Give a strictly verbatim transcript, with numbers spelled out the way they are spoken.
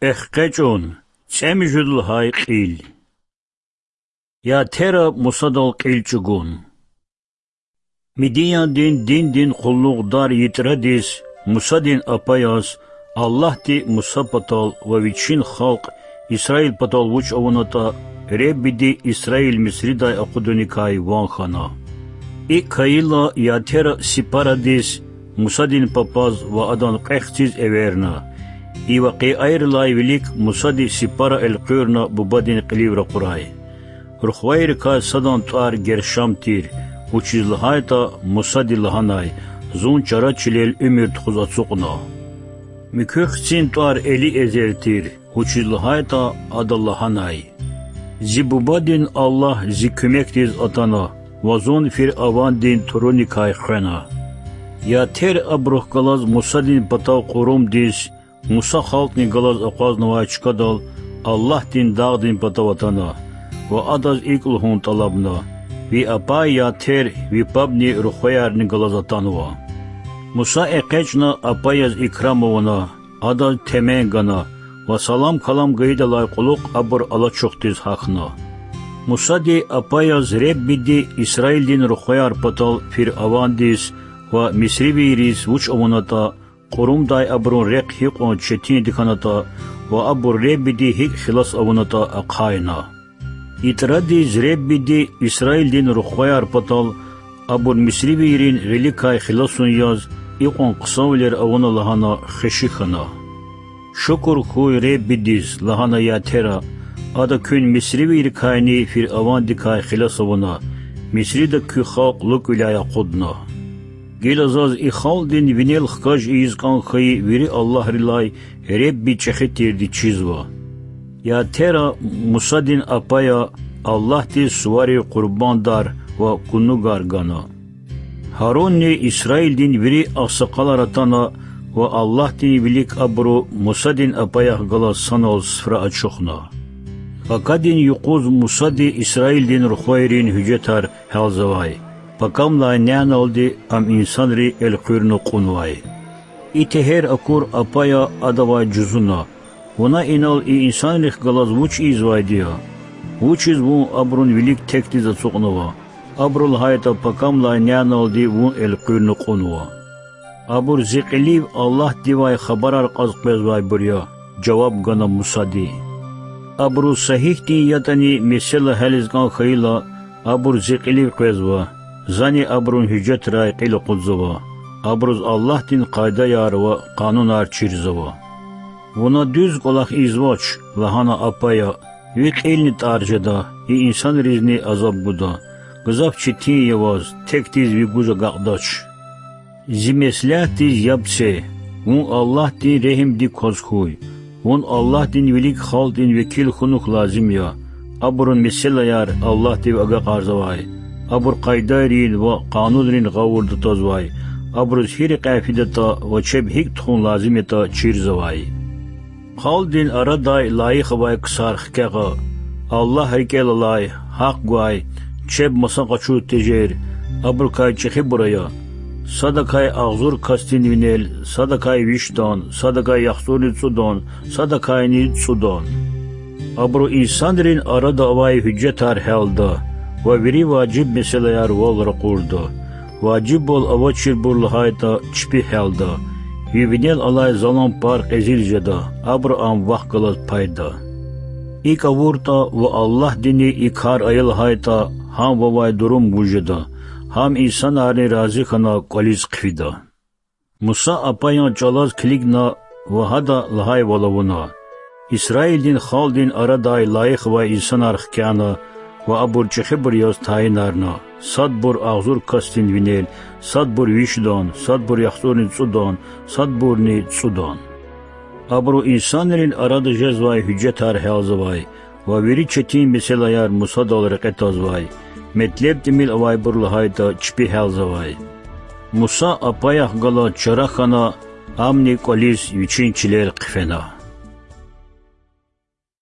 ЭкъечӀун, цӀемуьжуьд лагьай кьил. Ятера Мусадал кьил чӀугун. Мидияндин диндин къуллугъдар Ятрадиз, Мусадин апаяз, Аллагьди Муса патал ва вичин халкь Исраил патал вуч авунатӀа, Худади Исраил Мисридай акъудуникай ван хьана. ИкӀ хьайила Ятера Сипарадиз, Мусадин папаз ва адан кьве хциз эверна. И вакъиайрилай вилик Мусади Сипара элкъуьрна бубадин кьилив ракъурай. Рухвайрикай садан тӀвар Гершам тир, вучиз лагьайтӀа Мусади лагьанай: Зун чара чилел уьмуьр тухуз ацукьна. Муькуь хцин тӀвар Элиэзер тир, вучиз лагьайтӀа ада лагьанай: Зи бубадин Аллагь зи куьмекдиз атана ва зун фиръавандин туруникай хвена. Ятер абурухъ галаз Мусадин патав Къурумдиз, Муса халкьни галаз акъвазнавай чкадал Аллагьдин дагъдин патав атана ва адаз икӀ лугьун тӀалабна: Ви апай Ятер ви пабни рухваярни галаз атанва. Муса экъечӀна апаяз икрам авуна, адаз темен гана ва салам-калам гайидалай кьулухъ абур алачухдиз гьахьна. Мусади апаяз Худади Исраилдин рухваяр патал фиръавандиз ва мисривийриз вуч авунатӀа, Къурумдай абурун рехъ гьикьван четинди хьанатӀа ва абур Худадиз гьикӀ хилас авунатӀа ахъайна. Ятрадиз Худадиз Исраилдин рухваяр патал абур мисривийрин гъиликай хиласун яз икьван хъсанвилер авуна лагьана хвеши хьана. Шукур хьуй Худадиз, лагьана Ятера, ада куьн мисривийрикайни фиръавандикай хилас авуна, Мисрида куь халкь лукӀвиляй акъудна. Гила заз и халкьдин винел хкаж ийиз кӀан хьайи вири аллагьрилай Худади чӀехи тирди чизва. Ятера Мусадин апая Аллагьдиз суварив къурбандар ва гунугар гана. Гьарунни Исраилдин вири агъсакъалар атана ва Аллагьдин вилик абуру Мусадин апаях галаз санал суфра ачухна. Пакадин юкъуз Мусади Исраилдин рухвайрин гьуьжетар гьялзавай, пакамлай няналди ам инсанри элкъуьрна кьунвай. И тегьер акур апая адавай жузуна: Вуна инал и инсанрихъ галаз вуч ийизвайди я? Вучиз вун абурун вилик текдиз ацукьнава? Абуру лагьайтӀа пакамлай няналди вун элкъуьрна кьунва. Абур зи кьилив Аллагьдивай хабарар кьаз къвезвайбур я,— жаваб гана Мусади. Абуруз са гьихьтин ятӀани месэла гьялиз кӀан хьайила, абур зи кьилив къвезва, зани абурун гьуьжетрай кьил акъудзава, абуруз Аллагьдин къайдаяр ва къанунар чирзава. Вуна дуьз кӀвалах ийизвач,— лагьана апая,— ви кьилни тӀар жеда, и инсанризни азаб гуда. Гзаф четин я ваз, текдиз ви гуж агакьдач. Зи меслятдиз яб це, вун Аллагьдин регьимдик кваз хьуй. Вун Аллагьдин вилик халкьдин векил хьунухь лазим я, абурун месэлаяр Аллагьдив агакьарзавай, абур къайдайрин ва къанунрин гъавурда твазвай, абуруз гьи рекьяй фидатӀа ва чеб гьикӀ тухун лазим ятӀа чирзавай. Халкьдин арадай лайих авай ксар хкягъа, Аллагь рикӀел алай, гьахъ гвай, чеб маса къачуз тежер, абурукай чӀехибур ая: садакай агъзур касдин винел, садакай вишдан, садакай яхцӀурни цӀудан, садакайни цӀудан. Абуру инсанрин арада авай гьуьжетар гьялда ва вири важиб месэлаяр вал ракъурда. Важибвал авачирбур лагьайтӀа, чпи гьялда, ви винел алай залан пар кьезил жеда, абуру ам вахъ галаз пайда. ИкӀ авуртӀа ва Аллагьдини и кар ая лагьайтӀа, гьам вавай дурум вуж жеда, гьам инсанарни рази хьана кӀвализ хъфида. Муса апаян чӀалаз килигна ва гьада лагьайвал авуна. Исраилдин халкьдин арадай лайих авай инсанар хкяна ва абур чӀехибур яз тайинарна: садбур агъзур касдин винел, садбур вишдан, садбур яхцӀурни цӀудан, садбурни цӀудан. Абуру инсанрин арада жезвай гьуьжетар гьялзавай ва вири четин месэлаяр Мусадал рекье твазвай, метлеб тӀимил авайбур лагьайтӀа, чпи гьялзавай. Муса апаях галаз чара хьана, амни кӀвализ вичин чилел хъфена.